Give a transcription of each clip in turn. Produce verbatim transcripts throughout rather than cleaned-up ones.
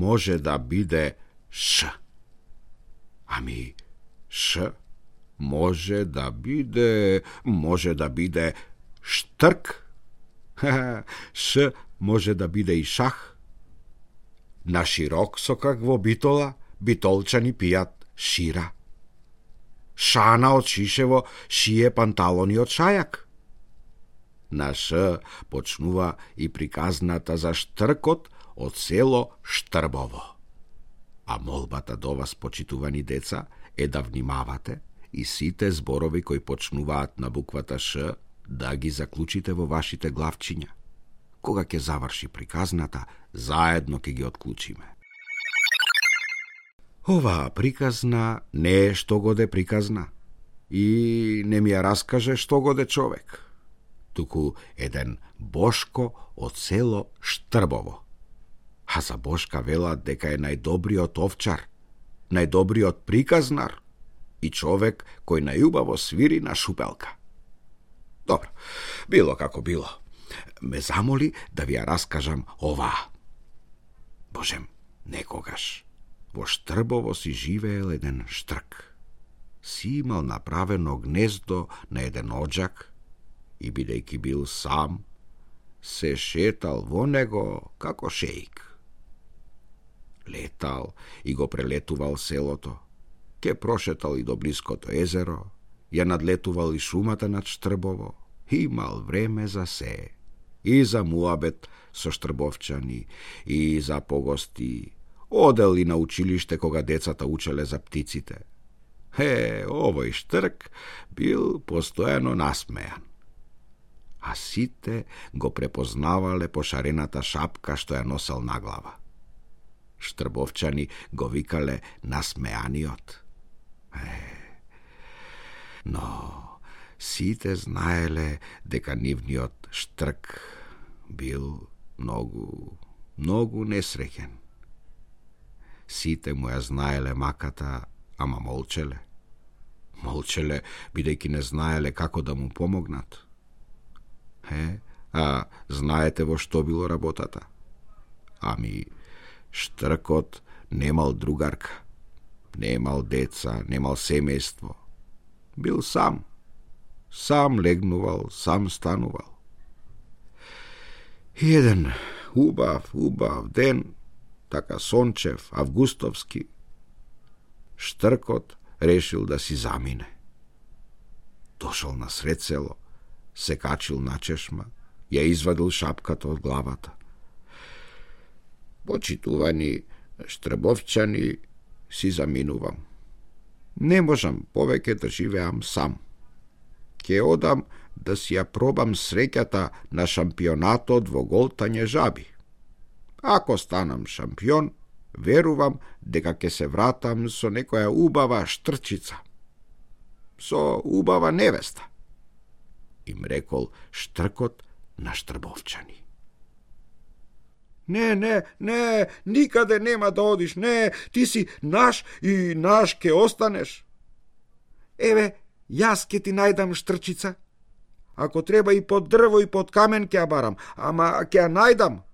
може да биде Ш. Ами, Ш може да биде, може да биде штрк. Ш може да биде и шах. На широк со какво битола, битолчани пијат шира. Шана од шишево шие панталони од шајак. На Ш почнува и приказната за штркот од село Штрбово. А молбата до вас, почитувани деца, е да внимавате и сите зборови кои почнуваат на буквата Ш да ги заклучите во вашите главчиња. Кога ќе заврши приказната, заедно ќе ги отклучиме. Оваа приказна не е што годе приказна и не ми ја раскаже што годе човек, туку еден Бошко од село Штрбово. А за Бошка велат дека е најдобриот овчар, најдобриот приказнар и човек кој најубаво свири на шупелка. Добро, било како било. Ме замоли да ви ја раскажам оваа. Божем, некогаш во Штрбово си живеел еден штрк. Си имал направено гнездо на еден оджак и бидејќи бил сам, се шетал во него како шеик. Летал и го прелетувал селото, ке прошетал и до блиското езеро, ја надлетувал и шумата над Штрбово, имал време за се, и за муабет со штрбовчани, и за погости, одел и на училиште кога децата учеле за птиците. Е, овој штрк бил постојано насмејан. А сите го препознавале по шарената шапка што ја носел на глава. Штрбовчани го викале насмеаниот. Е, но сите знаеле дека нивниот штрк бил многу, многу несреќен. Сите му ја знаеле маката, ама молчеле. Молчеле, бидејќи не знаеле како да му помогнат. Е, а знаете во што било работата? Ами, штркот немал другарка, немал деца, немал семејство. Бил сам. Сам легнувал, сам станувал. И еден убав, убав ден, така сончев, августовски, штркот решил да си замине. Дошол на сред село, се качил на чешма, ја извадил шапката од главата. Почитувани штрбовчани, си заминувам. Не можам повеќе да живеам сам. Ке одам да си ја пробам среќата на шампионатот во голтање жаби. Ако станам шампион, верувам дека ќе се вратам со некоја убава штрчица, со убава невеста, им рекол штркот на штрбовчани. Не, не, не, никаде нема да одиш, не, ти си наш и наш ке останеш. Еве, јас ке ти најдам штрчица. Ако треба и под дрво и под камен ке ја барам, ама ке ја најдам.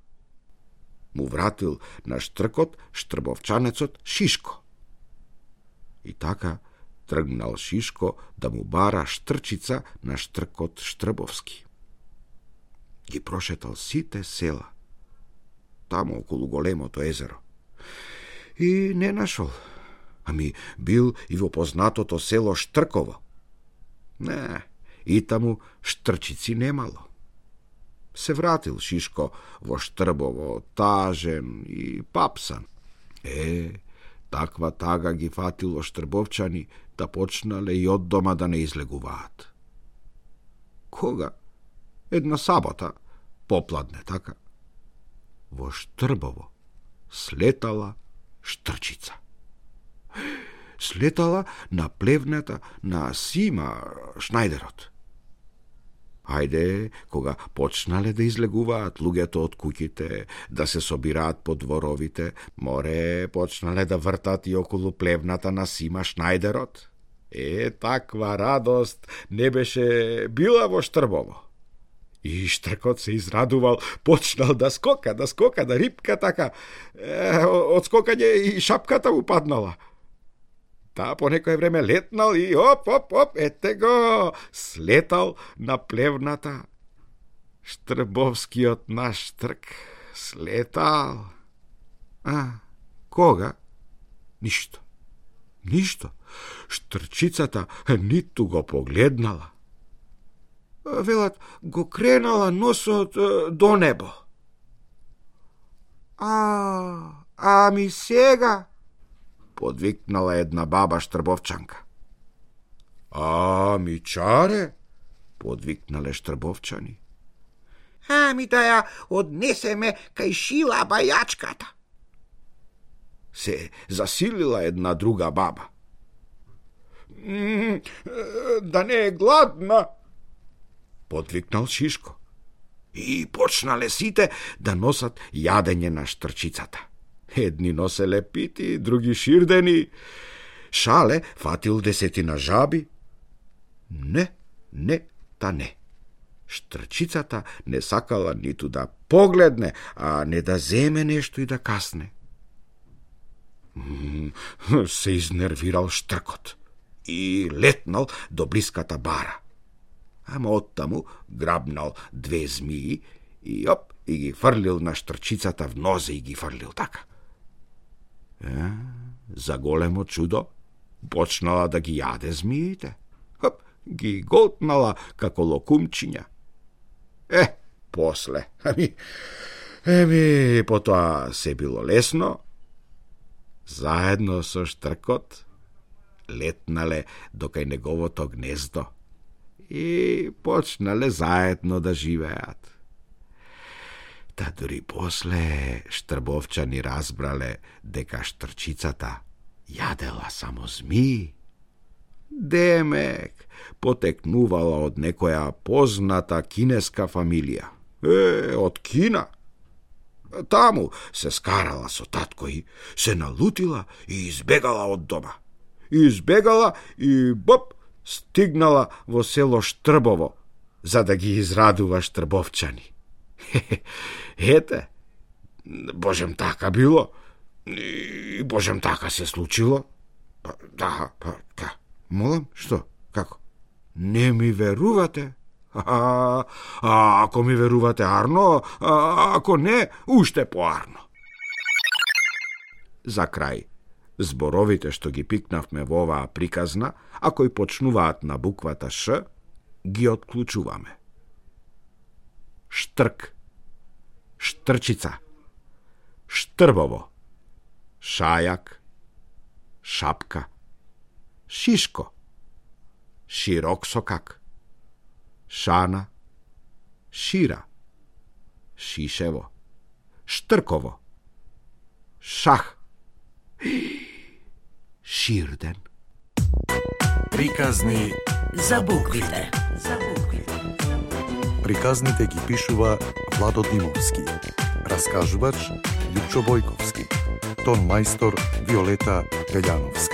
Му вратил на штркот штрбовчанецот Шишко. И така тргнал Шишко да му бара штрчица на штркот Штрбовски. Ги прошетал сите села, тамо околу големото езеро. И не нашол, ами бил и во познатото село Штрково. Не, и таму штрчици немало. Се вратил Шишко во Штрбово, тажен и папсан. Е, таква тага ги фатило штрбовчани да почнале и од дома да не излегуваат. Кога? Една сабота, попладне така, во Штрбово слетала штрчица. Слетала на плевната на Сима Шнајдерот. Ајде, кога почнале да излегуваат луѓето од куќите, да се собираат по дворовите, море почнале да вртат и околу плевната на Сима Шнајдерот. Е, таква радост не беше била во Штрбово. И Штркот се израдувал, почнал да скока, да скока, да рипка така. Е, од скокање и шапката му паднала. Таа по некое време летнал и оп, оп, оп, ете го, слетал на плевната. Штрбовскиот наш Штрк слетал. А, кога? Ништо. Ништо. Штрчицата ниту го погледнала. Велат, го кренала носот до небо. А, ами сега? Подвикнала една баба Штрбовчанка. Ами чаре? Подвикнале Штрбовчани. Ами да ја однесеме кај Шила бајачката. Се засилила една друга баба. М, да не е гладна, подвикнал Шишко. И почнале сите да носат јадење на Штрчицата. Едни носеле пити, други ширдени. Шале фатил десетина жаби. Не, не, та не. Штрчицата не сакала ниту да погледне, а не да земе нешто и да касне. Се изнервирал Штркот и летнал до блиската бара. Ама оттаму грабнал две змии и оп, и ги фрлил на Штрчицата в нозе и ги фрлил така. Е, за големо чудо почнала да ги јаде змиите. Хоп, ги голтнала како локумчиња. Е, после, ами, еми, потоа се било лесно. Заедно со Штркот летнале до кај неговото гнездо и почнале заедно да живеат. Та дури после Штрбовчани разбрале дека Штрчицата јадела само змии. Демек потекнувала од некоја позната кинеска фамилија. Е, од Кина. Таму се скарала со татко и се налутила и избегала од дома. Избегала и боп, стигнала во село Штрбово, за да ги израдува Штрбовчани. Ете, божем така било, и божем така се случило. Да, па, ка, молам, што, како? Не ми верувате? А, а ако ми верувате арно, а ако не, уште поарно. За крај, зборовите што ги пикнавме во оваа приказна, а кои почнуваат на буквата Ш, ги отклучуваме. Штрк, Штрчица, Штрбово, Шајак, Шапка, Шишко, Широк сокак, Шана, Шира, Шишево, Штрково, Шах, Ширден. Приказни за буквите. За буквите. Приказните ги пишува Владо Димовски. Раскажувач Лјупчо Бојковски. Тон мајстор Виолета Гаљановска.